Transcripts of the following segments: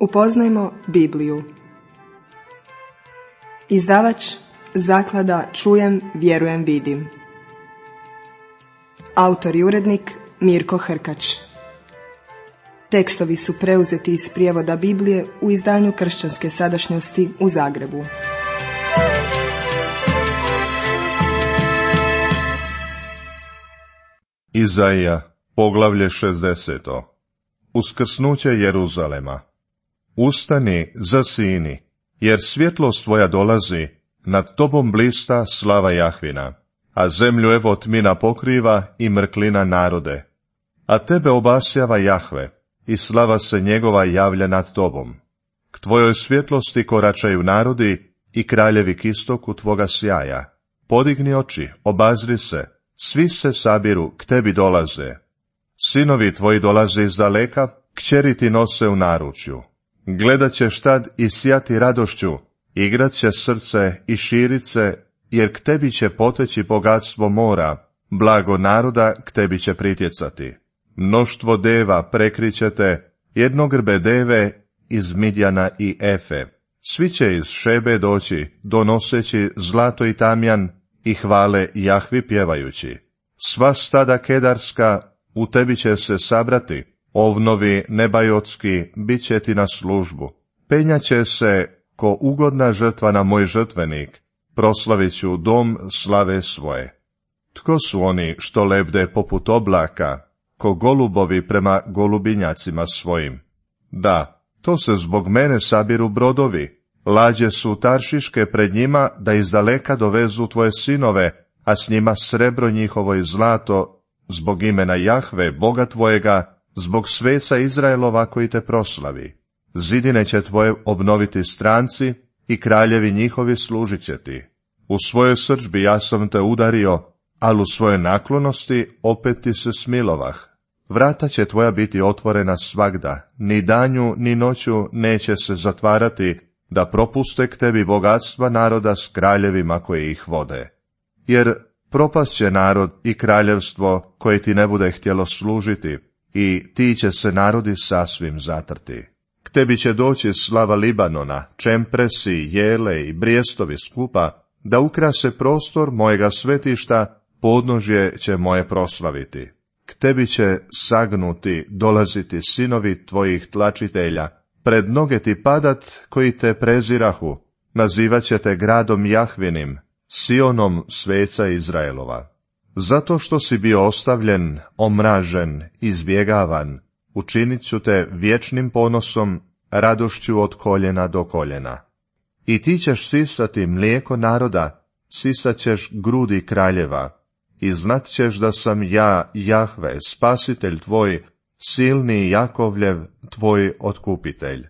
Upoznajmo Bibliju. Izdavač Zaklada Čujem, vjerujem, vidim. Autor i urednik Mirko Hrkač. Tekstovi su preuzeti iz prijevoda Biblije u izdanju Kršćanske sadašnjosti u Zagrebu. Izaija, poglavlje 60. Uskrsnuće Jeruzalema. Ustani, zasini, jer svjetlost tvoja dolazi, nad tobom blista slava Jahvina, a zemlju evo tmina pokriva i mrklina narode. A tebe obasjava Jahve, i slava se njegova javlja nad tobom. K tvojoj svjetlosti koračaju narodi i kraljevi k istoku tvoga sjaja. Podigni oči, obazri se, svi se sabiru, k tebi dolaze. Sinovi tvoji dolaze iz daleka, kćeri ti nose u naručju. Gledat ćeš tad i sjati radošću, igrat će srce i širit se, jer k tebi će poteći bogatstvo mora, blago naroda k tebi će pritjecati. Mnoštvo deva prekrićete, jednogrbe deve iz Midjana i Efe. Svi će iz Šebe doći, donoseći zlato i tamjan, i hvale Jahvi pjevajući. Sva stada kedarska u tebi će se sabrati, ovnovi nebajotski bit će ti na službu. Penjaće se ko ugodna žrtva na moj žrtvenik, proslavit ću dom slave svoje. Tko su oni što lebde poput oblaka, ko golubovi prema golubinjacima svojim? Da, to se zbog mene sabiru brodovi, lađe su taršiške pred njima da izdaleka dovezu tvoje sinove, a s njima srebro njihovo i zlato, zbog imena Jahve, Boga tvojega, zbog sveca Izraelova koji te proslavi. Zidine će tvoje obnoviti stranci i kraljevi njihovi služit će ti. U svojoj srdžbi ja sam te udario, ali u svojoj naklonosti opet ti se smilovah. Vrata će tvoja biti otvorena svagda, ni danju ni noću neće se zatvarati, da propuste k tebi bogatstva naroda s kraljevima koji ih vode. Jer propast će narod i kraljevstvo koje ti ne bude htjelo služiti, i ti će se narodi sasvim zatrti. K tebi će doći slava Libanona, čempresi, jele i brijestovi skupa, da ukrase prostor mojega svetišta, podnožje će moje proslaviti. K tebi će sagnuti dolaziti sinovi tvojih tlačitelja, pred noge ti padat koji te prezirahu, nazivat će te gradom Jahvinim, Sionom sveca Izraelova. Zato što si bio ostavljen, omražen, izbjegavan, učinit ću te vječnim ponosom, radošću od koljena do koljena. I ti ćeš sisati mlijeko naroda, sisat ćeš grudi kraljeva, i znat ćeš da sam ja, Jahve, spasitelj tvoj, silni Jakovljev, tvoj otkupitelj.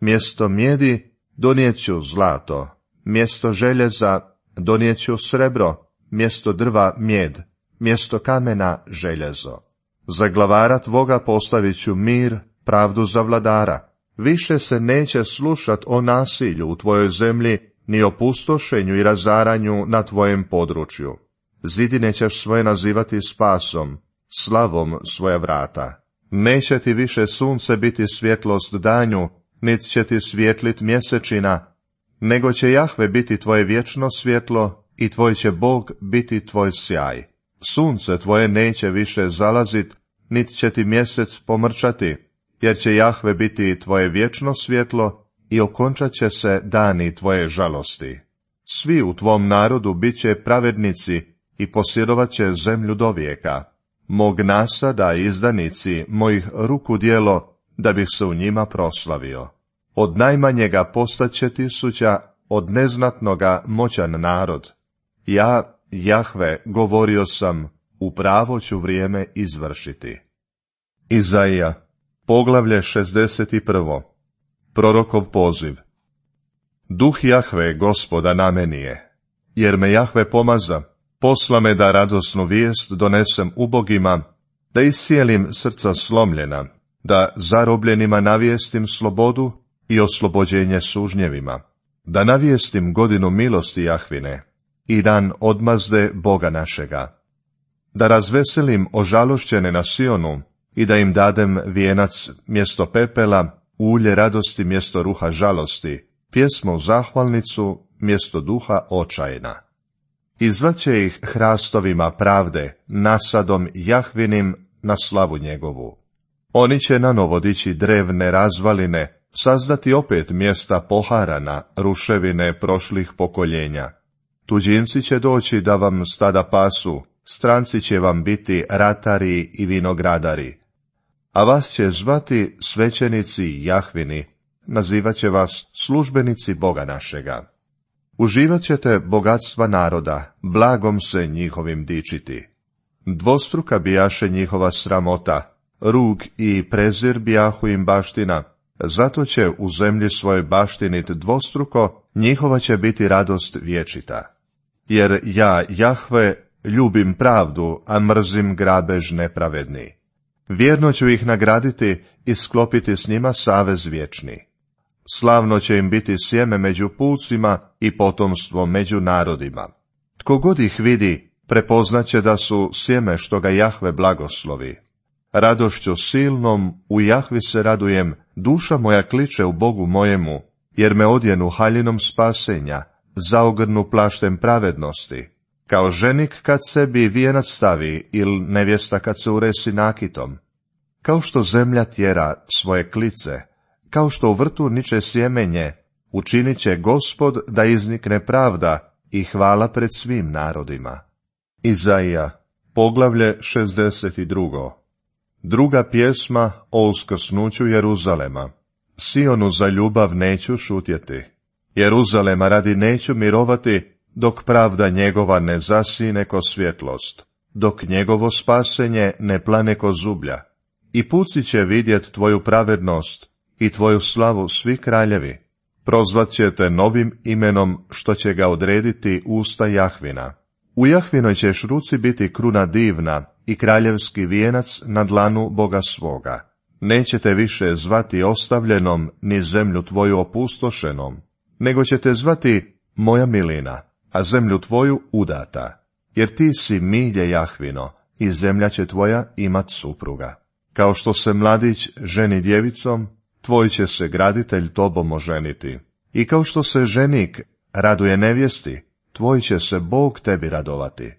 Mjesto mjedi donijet ću zlato, mjesto željeza donijet ću srebro, mjesto drva mjed, mjesto kamena željezo. Za glavara tvoga postavit ću mir, pravdu za vladara. Više se neće slušat o nasilju u tvojoj zemlji, ni o pustošenju i razaranju na tvojem području. Zidine ćeš svoje nazivati spasom, slavom svoja vrata. Neće ti više sunce biti svjetlost danju, nit će ti svjetlit mjesečina, nego će Jahve biti tvoje vječno svjetlo i tvoj će Bog biti tvoj sjaj. Sunce tvoje neće više zalazit, nit će ti mjesec pomrčati, jer će Jahve biti tvoje vječno svjetlo i okončat će se dani tvoje žalosti. Svi u tvom narodu bit će pravednici i posjedovat će zemlju do vijeka. Mog nasada i izdanici mojih ruku djelo, da bih se u njima proslavio. Od najmanjega postaće tisuća, od neznatnoga moćan narod. Ja, Jahve, govorio sam, upravo ću vrijeme izvršiti. Izaija, poglavlje 61. Prorokov poziv. Duh Jahve, Gospoda, na meni je, jer me Jahve pomaza, posla me da radosnu vijest donesem ubogima, da iscijelim srca slomljena, da zarobljenima navijestim slobodu i oslobođenje sužnjevima, da navijestim godinu milosti Jahvine i dan odmazde Boga našega, da razveselim ožalošćene na Sionu i da im dadem vijenac mjesto pepela, ulje radosti mjesto ruha žalosti, pjesmu zahvalnicu mjesto duha očajna. I zvaće ih hrastovima pravde, nasadom Jahvinim na slavu njegovu. Oni će nanovo dići drevne razvaline, sazdati opet mjesta poharana, ruševine prošlih pokoljenja. Tuđinci će doći da vam stada pasu, stranci će vam biti ratari i vinogradari. A vas će zvati svećenici Jahvini, nazivat će vas službenici Boga našega. Uživat ćete bogatstva naroda, blagom se njihovim dičiti. Dvostruka bijaše njihova sramota, rug i prezir bijahu im baština, zato će u zemlji svojoj baštinit dvostruko, njihova će biti radost vječita. Jer ja, Jahve, ljubim pravdu, a mrzim grabež nepravedni. Vjerno ću ih nagraditi i sklopiti s njima savez vječni. Slavno će im biti sjeme među pucima i potomstvo među narodima. Tko god ih vidi, prepoznaće da su sjeme što ga Jahve blagoslovi. Radošću silnom u Jahvi se radujem, duša moja kliče u Bogu mojemu, jer me odjenu haljinom spasenja, zaogrnu plaštem pravednosti, kao ženik kad sebi vijenac stavi ili nevjesta kad se uresi nakitom. Kao što zemlja tjera svoje klice, kao što u vrtu niče sjemenje, učinit će Gospod da iznikne pravda i hvala pred svim narodima. Izaija, poglavlje 62. Druga pjesma o uskrsnuću Jeruzalema. Sionu za ljubav neću šutjeti, Jeruzalema radi neću mirovati, dok pravda njegova ne zasine ko svjetlost, dok njegovo spasenje ne plane ko zublja. I puci će vidjet tvoju pravednost i tvoju slavu svi kraljevi. Prozvat će te novim imenom što će ga odrediti usta Jahvina. U Jahvinoj ćeš ruci biti kruna divna i kraljevski vijenac na dlanu Boga svoga. Nećete više zvati ostavljenom ni zemlju tvoju opustošenom, nego ćete zvati moja milina, a zemlju tvoju udata, jer ti si milje Jahvino i zemlja će tvoja imat supruga. Kao što se mladić ženi djevicom, tvoj će se graditelj tobom oženiti. I kao što se ženik raduje nevjesti, tvoj će se Bog tebi radovati.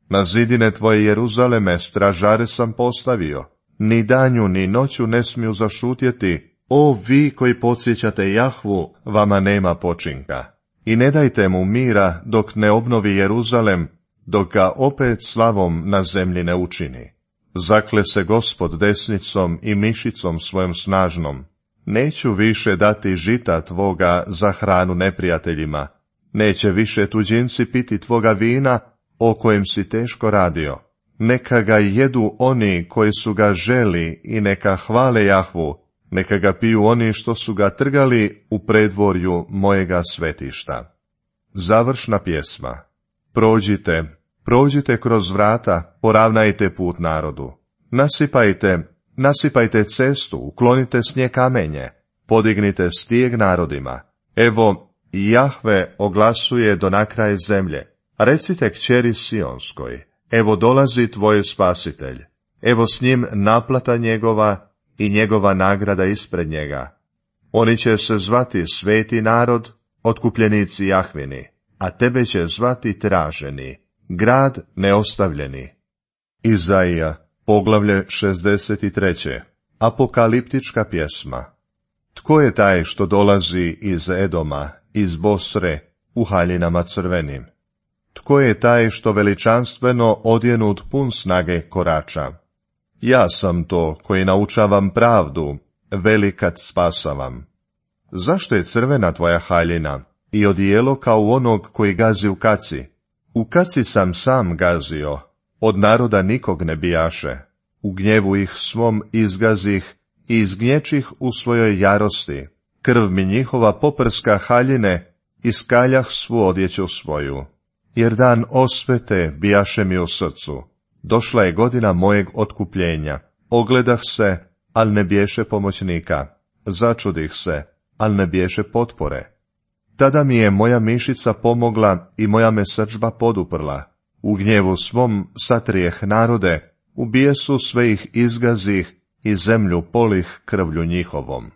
Na zidine tvoje Jeruzaleme stražare sam postavio, ni danju ni noću ne smiju zašutjeti, o vi koji podsjećate Jahvu, vama nema počinka. I ne dajte mu mira dok ne obnovi Jeruzalem, dok ga opet slavom na zemlji ne učini. Zakle se Gospod desnicom i mišicom svojom snažnom. Neću više dati žita tvoga za hranu neprijateljima, neće više tuđinci piti tvoga vina, o kojem si teško radio. Neka ga jedu oni koji su ga želi i neka hvale Jahvu, neka ga piju oni što su ga trgali u predvorju mojega svetišta. Završna pjesma. Prođite kroz vrata, poravnajte put narodu. Nasipajte cestu, uklonite s nje kamenje, podignite stijeg narodima. Evo, Jahve oglasuje do nakraj zemlje. Recite kćeri Sionskoj, evo dolazi tvoj spasitelj. Evo s njim naplata njegova i njegova nagrada ispred njega. Oni će se zvati sveti narod, otkupljenici Jahvini, a tebe će zvati traženi, grad neostavljeni. Izaija, poglavlje 63. Apokaliptička pjesma. Tko je taj što dolazi iz Edoma, iz Bosre, u haljinama crvenim? Tko je taj što veličanstveno odjenut pun snage korača? Ja sam to koji naučavam pravdu, velikat spasavam. Zašto je crvena tvoja haljina i odijelo kao onog koji gazi u kaci? U kaci sam sam gazio, od naroda nikog ne bijaše. U gnjevu ih svom izgazih i izgnječih u svojoj jarosti. Krv mi njihova poprska haljine, iskaljah svu odjeću svoju. Jer dan osvete bijaše mi u srcu. Došla je godina mojeg otkupljenja. Ogledah se, al ne biješe pomoćnika. Začudih se, al ne biješe potpore. Tada mi je moja mišica pomogla i moja me srdžba poduprla. U gnjevu svom satrijeh narode, u bijesu sve ih izgazih i zemlju polih krvlju njihovom.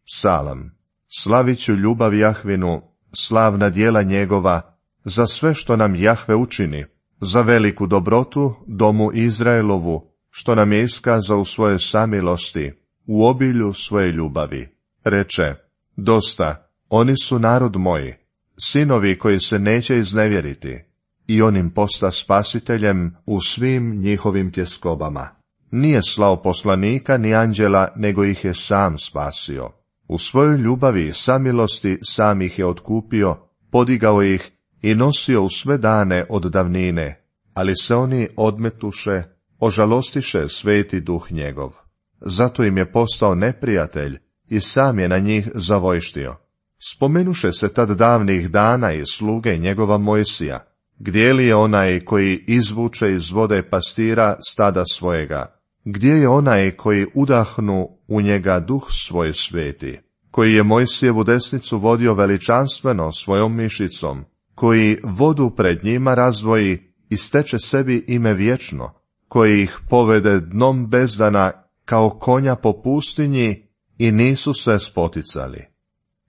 Psalam. Slavit ću ljubav Jahvinu, slavna djela njegova, za sve što nam Jahve učini, za veliku dobrotu domu Izraelovu, što nam je iskazao u svojoj samilosti, u obilju svoje ljubavi. Reče, dosta, oni su narod moji, sinovi koji se neće iznevjeriti, i on im posta spasiteljem u svim njihovim tjeskobama. Nije slao poslanika ni anđela, nego ih je sam spasio. U svojoj ljubavi i samilosti sam ih je otkupio, podigao ih i nosio u sve dane od davnine, ali se oni odmetuše, ožalostiše sveti duh njegov. Zato im je postao neprijatelj i sam je na njih zavojštio. Spomenuše se tad davnih dana i sluge njegova Mojsija, gdje li je onaj koji izvuče iz vode pastira stada svojega, gdje je onaj koji udahnu u njega duh svoj sveti, koji je Mojsijevu desnicu vodio veličanstveno svojom mišicom, koji vodu pred njima razdvoji i steče sebi ime vječno, koji ih povede dnom bezdana kao konja po pustinji i nisu se spoticali.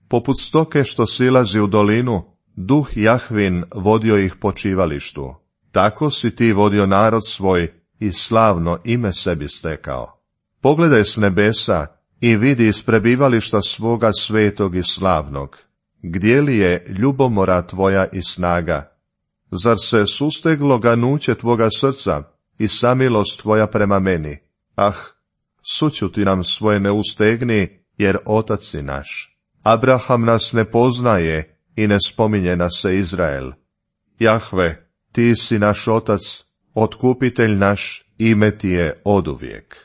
Poput stoke što silazi u dolinu, duh Jahvin vodio ih po čivalištu. Tako si ti vodio narod svoj i slavno ime sebi stekao. Pogledaj s nebesa i vidi iz prebivališta svoga svetog i slavnog. Gdje li je ljubomora tvoja i snaga? Zar se susteglo ganuće tvoga srca i samilost tvoja prema meni? Ah, sućuti nam svoje ne ustegni, jer otac si naš. Abraham nas ne poznaje i ne spominje nas se Izrael. Jahve, ti si naš otac, otkupitelj naš, ime ti je oduvijek.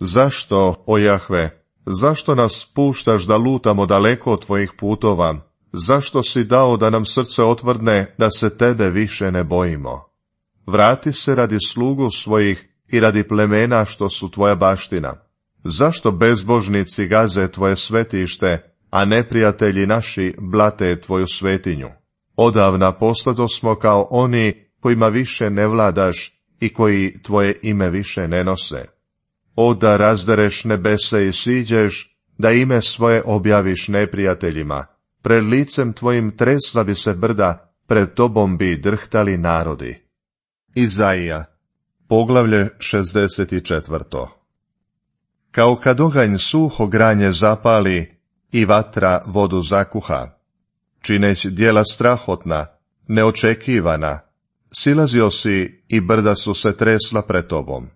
Zašto, o Jahve, zašto nas puštaš da lutamo daleko od tvojih putova? Zašto si dao da nam srce otvrdne, da se tebe više ne bojimo? Vrati se radi slugu svojih i radi plemena što su tvoja baština. Zašto bezbožnici gaze tvoje svetište, a neprijatelji naši blate tvoju svetinju? Odavna postadosmo kao oni kojima više ne vladaš i koji tvoje ime više ne nose. O da razdereš nebese i siđeš, da ime svoje objaviš neprijateljima. Pred licem tvojim tresla bi se brda, pred tobom bi drhtali narodi. Izaija, poglavlje 64. Kao kad oganj suho granje zapali i vatra vodu zakuha, čineć djela strahotna, neočekivana, silazio si i brda su se tresla pred tobom.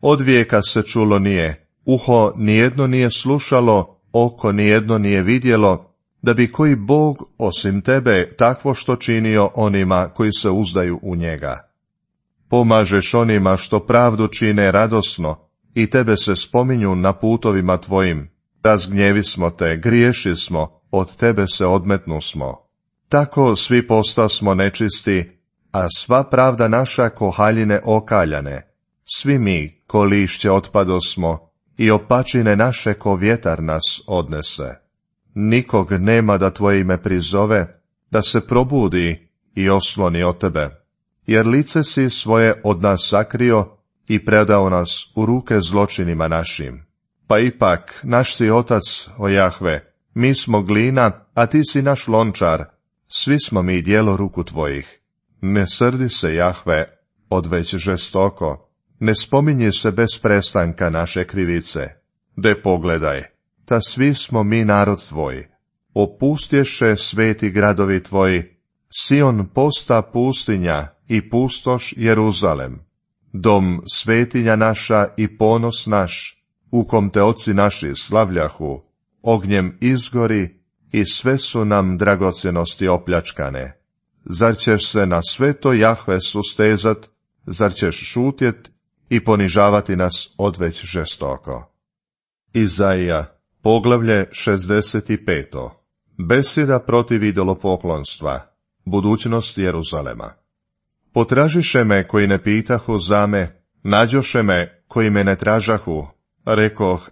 Od vijeka se čulo nije, uho nijedno nije slušalo, oko nijedno nije vidjelo, da bi koji Bog osim tebe takvo što činio onima koji se uzdaju u njega. Pomažeš onima što pravdu čine radosno i tebe se spominju na putovima tvojim. Razgnjevi smo te, griješi smo, od tebe se odmetnusmo. Tako svi postasmo nečisti, a sva pravda naša ko haljine okaljane. Svi mi ko lišće otpadosmo i opačine naše ko vjetar nas odnese. Nikog nema da tvoje ime prizove, da se probudi i osloni od tebe, jer lice si svoje od nas sakrio i predao nas u ruke zločinima našim. Pa ipak, naš si otac, o Jahve, mi smo glina, a ti si naš lončar, svi smo mi djelo ruku tvojih. Ne srdi se, Jahve, odveć žestoko, ne spominji se bez prestanka naše krivice. De pogledaj, ta svi smo mi narod tvoj. Opustješe sveti gradovi tvoji, Sion posta pustinja i pustoš Jeruzalem. Dom svetinja naša i ponos naš, u kom te oci naši slavljahu, ognjem izgori i sve su nam dragocjenosti opljačkane. Zar ćeš se na sve to, Jahve, sustezat, zar ćeš šutjet i ponižavati nas odveć žestoko? Izaija, poglavlje 65. Besjeda protiv idolopoklonstva, budućnost Jeruzalema. Potražiše me koji ne pitahu za me, nađoše me koji me ne tražahu, rekoh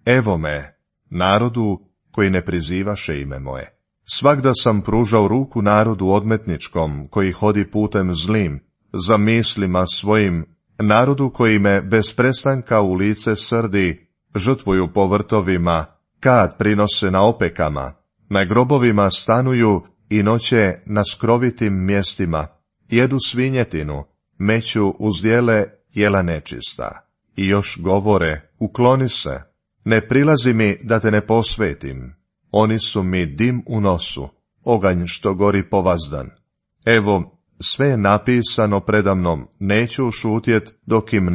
evo me, narodu koji ne prizivaše ime moje. Svagda sam pružao ruku narodu odmetničkom, koji hodi putem zlim, za mislima svojim, narodu koji me bez prestanka u lice srdi, žrtvuju po vrtovima, kad prinose na opekama, na grobovima stanuju i noće na skrovitim mjestima, jedu svinjetinu, meću uzdjele jela nečista. I još govore, ukloni se, ne prilazi mi da te ne posvetim. Oni su mi dim u nosu, oganj što gori povazdan. Evo, sve je napisano predamnom, neću šutjet dok im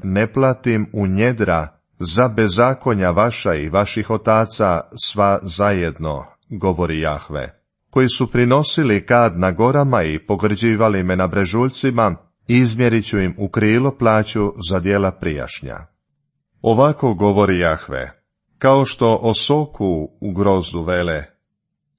ne platim u njedra za bezakonja vaša i vaših otaca sva zajedno, govori Jahve, koji su prinosili kad na gorama i pogrđivali me na brežuljcima, izmjerit ću im u krilo plaću za djela prijašnja. Ovako govori Jahve, kao što o soku u grozdu vele,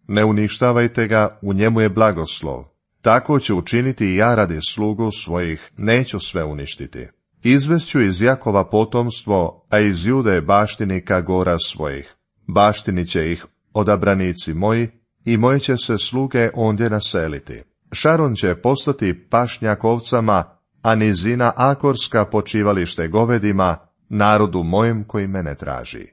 ne uništavajte ga, u njemu je blagoslov, tako ću učiniti i ja radi slugu svojih, neću sve uništiti. Izvest ću iz Jakova potomstvo, a iz Jude baštinika gora svojih. Baštinit će ih odabranici moji, i moje će se sluge ondje naseliti. Šaron će postati pašnjak ovcama, a nizina Akorska počivalište govedima, narodu mojem koji mene traži.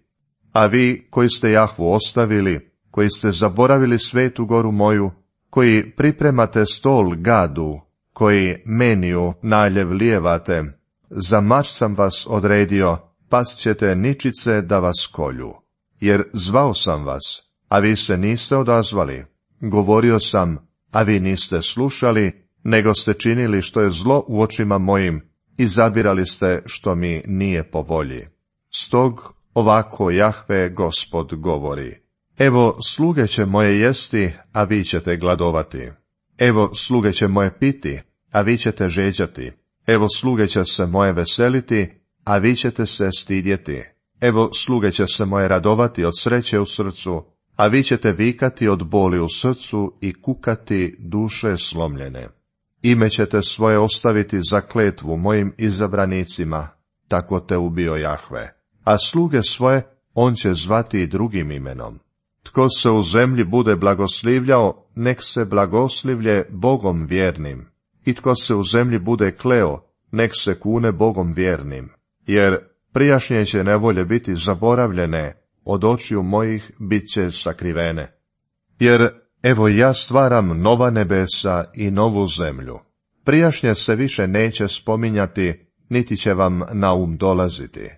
A vi koji ste Jahvu ostavili, koji ste zaboravili svetu goru moju, koji pripremate stol Gadu, koji meniju naljev lijevate, za mač sam vas odredio, past ćete ničice da vas kolju. Jer zvao sam vas, a vi se niste odazvali. Govorio sam, a vi niste slušali, nego ste činili što je zlo u očima mojim, i zabirali ste što mi nije po volji. Stog ovako Jahve Gospod govori. Evo, sluge će moje jesti, a vi ćete gladovati. Evo, sluge će moje piti, a vi ćete žeđati. Evo, sluge će se moje veseliti, a vi ćete se stidjeti. Evo, sluge će se moje radovati od sreće u srcu, a vi ćete vikati od boli u srcu i kukati duše slomljene. Ime ćete svoje ostaviti za kletvu mojim izabranicima, tako te ubio Jahve. A sluge svoje on će zvati drugim imenom. Tko se u zemlji bude blagoslivljao, nek se blagoslivlje Bogom vjernim. I tko se u zemlji bude kleo, nek se kune Bogom vjernim. Jer prijašnje će nevolje biti zaboravljene, od očiju mojih bit će sakrivene. Jer evo ja stvaram nova nebesa i novu zemlju. Prijašnje se više neće spominjati, niti će vam na um dolaziti.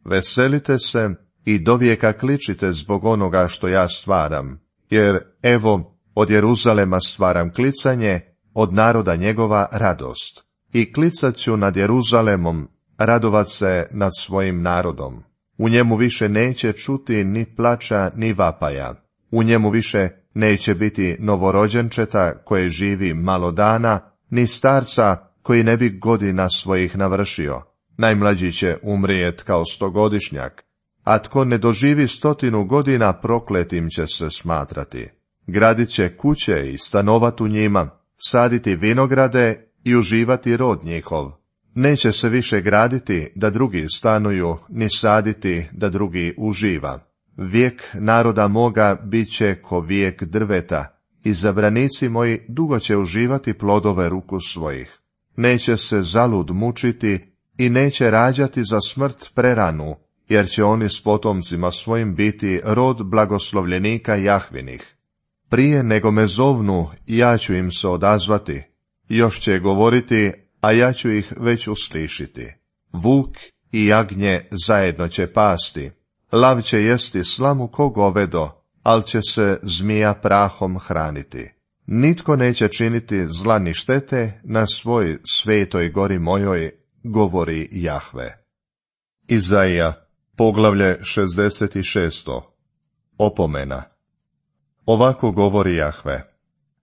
Veselite se i dovijeka kličite zbog onoga što ja stvaram, jer evo od Jeruzalema stvaram klicanje, od naroda njegova radost. I klicat ću nad Jeruzalemom, radovat se nad svojim narodom. U njemu više neće čuti ni plača ni vapaja. U njemu više neće biti novorođenčeta koje živi malo dana, ni starca koji ne bi godina svojih navršio. Najmlađi će umrijet kao 100-godišnjak, a tko ne doživi 100 godina prokletim će se smatrati. Gradit će kuće i stanovat u njima, saditi vinograde i uživati rod njihov. Neće se više graditi da drugi stanuju, ni saditi da drugi uživa. Vijek naroda moga bit će ko vijek drveta, izabranici moji dugo će uživati plodove ruku svojih. Neće se zalud mučiti i neće rađati za smrt preranu, jer će oni s potomcima svojim biti rod blagoslovljenika Jahvinih. Prije nego me zovnu, ja ću im se odazvati. Još će govoriti, a ja ću ih već uslišiti. Vuk i jagnje zajedno će pasti. Lav će jesti slamu ko govedo, al će se zmija prahom hraniti. Nitko neće činiti zla ni štete na svoj svetoj gori mojoj, govori Jahve. Izaija, poglavlje 66. Opomena. Ovako govori Jahve.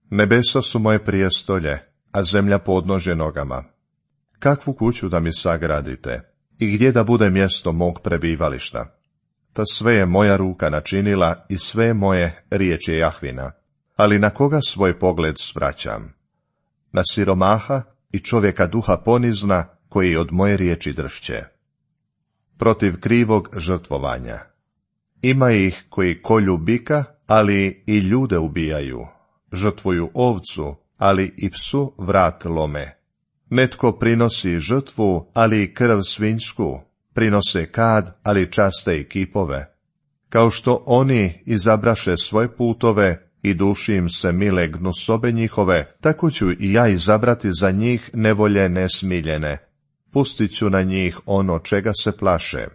Nebesa su moje prijestolje, a zemlja podnožje nogama. Kakvu kuću da mi sagradite i gdje da bude mjesto mog prebivališta? Ta sve je moja ruka načinila i sve moje riječ je Jahvina. Ali na koga svoj pogled svraćam? Na siromaha i čovjeka duha ponizna koji od moje riječi dršće. Protiv krivog žrtvovanja. Ima ih koji kolju bika, ali i ljude ubijaju. Žrtvuju ovcu, ali i psu vrat lome. Netko prinosi žrtvu, ali i krv svinjsku. Prinose kad, ali časte i kipove. Kao što oni izabraše svoje putove i duši im se mile gnusobe njihove, tako ću i ja izabrati za njih nevolje nesmiljene. Pustit ću na njih ono čega se plaše.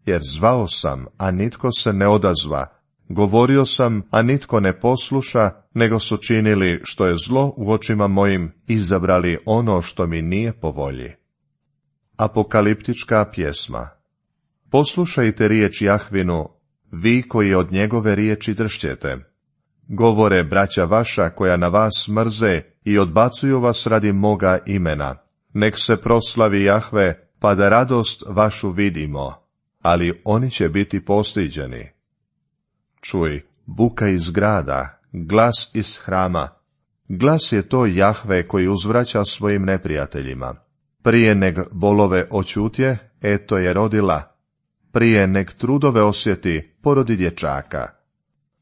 Jer zvao sam, a nitko se ne odazva, govorio sam, a nitko ne posluša, nego su činili što je zlo u očima mojim, izabrali ono što mi nije po volji. Apokaliptička pjesma. Poslušajte riječ Jahvinu, vi koji od njegove riječi dršćete. Govore braća vaša koja na vas mrze i odbacuju vas radi moga imena. Nek se proslavi Jahve, pa da radost vašu vidimo, ali oni će biti postiđeni. Čuj, buka iz grada, glas iz hrama. Glas je to Jahve koji uzvraća svojim neprijateljima. Prije neg bolove očutje, eto je rodila. Prije neg trudove osjeti, porodi dječaka.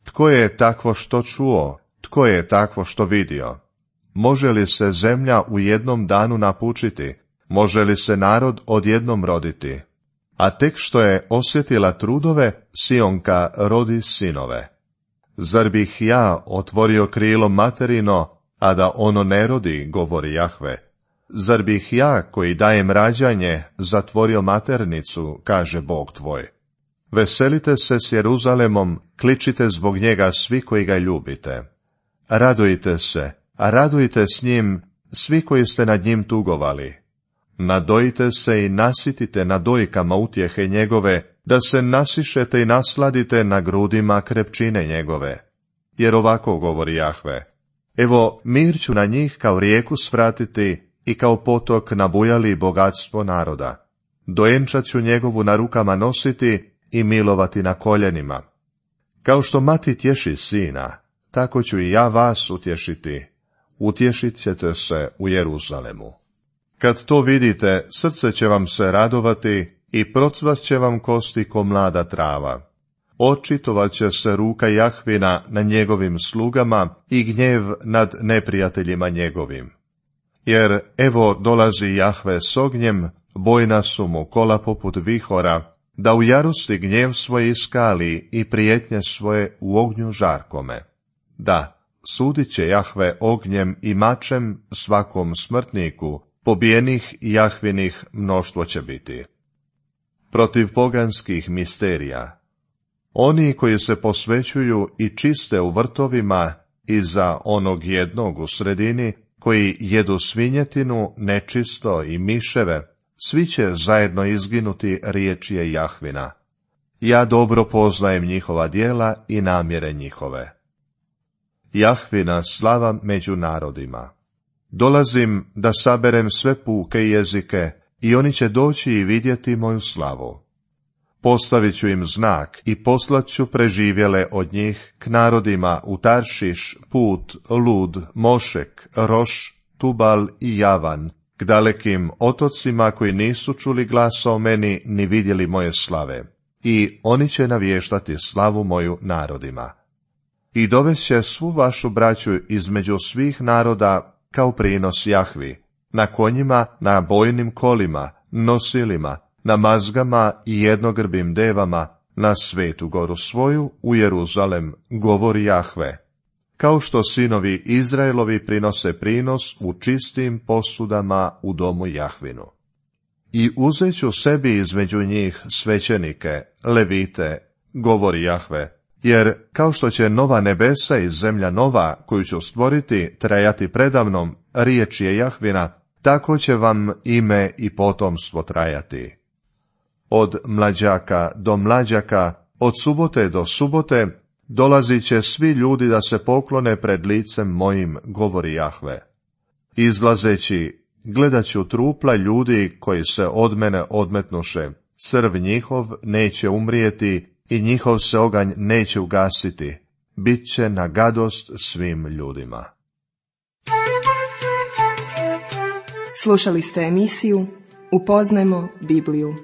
Tko je takvo što čuo, tko je takvo što vidio? Može li se zemlja u jednom danu napučiti? Može li se narod odjednom roditi? A tek što je osjetila trudove, Sionka rodi sinove. Zar bih ja otvorio krilo materino, a da ono ne rodi, govori Jahve? Zar bih ja, koji dajem rađanje, zatvorio maternicu, kaže Bog tvoj? Veselite se s Jeruzalemom, kličite zbog njega svi koji ga ljubite. Radujte se, a radujte s njim svi koji ste nad njim tugovali. Nadojite se i nasitite na dojkama utjehe njegove, da se nasišete i nasladite na grudima krepčine njegove. Jer ovako govori Jahve: evo, mir ću na njih kao rijeku svratiti i kao potok nabujali bogatstvo naroda. Dojenčat ću njegovu na rukama nositi i milovati na koljenima. Kao što mati tješi sina, tako ću i ja vas utješiti. Utješit ćete se u Jeruzalemu. Kad to vidite, srce će vam se radovati i procvast će vam kosti ko mlada trava. Očitovat će se ruka Jahvina na njegovim slugama i gnjev nad neprijateljima njegovim. Jer evo dolazi Jahve s ognjem, bojna su mu kola poput vihora, da u jarosti gnjev svoj iskali i prijetnje svoje u ognju žarkome. Da, sudit će Jahve ognjem i mačem svakom smrtniku, pobijenih Jahvinih mnoštvo će biti. Protiv poganskih misterija. Oni koji se posvećuju i čiste u vrtovima iza onog jednog u sredini, koji jedu svinjetinu, nečisto i miševe, svi će zajedno izginuti, riječ je Jahvina. Ja dobro poznajem njihova djela i namjere njihove. Jahvina slava među narodima. Dolazim da saberem sve puke jezike i oni će doći i vidjeti moju slavu. Postavit ću im znak i poslat ću preživjele od njih k narodima u Taršiš, Put, Lud, Mošek, Roš, Tubal i Javan, k dalekim otocima koji nisu čuli glasa o meni ni vidjeli moje slave. I oni će navještati slavu moju narodima. I dovešće svu vašu braću između svih naroda kao prinos Jahvi, na konjima, na bojnim kolima, nosilima, na mazgama i jednogrbim devama, na svetu goru svoju u Jeruzalem, govori Jahve. Kao što sinovi Izraelovi prinose prinos u čistim posudama u domu Jahvinu. I uzet ću sebi između njih svećenike, levite, govori Jahve, jer kao što će nova nebesa i zemlja nova, koju ću stvoriti, trajati predamnom, riječ je Jahvina, tako će vam ime i potomstvo trajati. Od mlađaka do mlađaka, od subote do subote, dolazit će svi ljudi da se poklone pred licem mojim, govori Jahve. Izlazeći, gledat ću trupla ljudi koji se od mene odmetnuše, crv njihov neće umrijeti i njihov se oganj neće ugasiti, bit će na gadost svim ljudima. Slušali ste emisiju Upoznajmo Bibliju.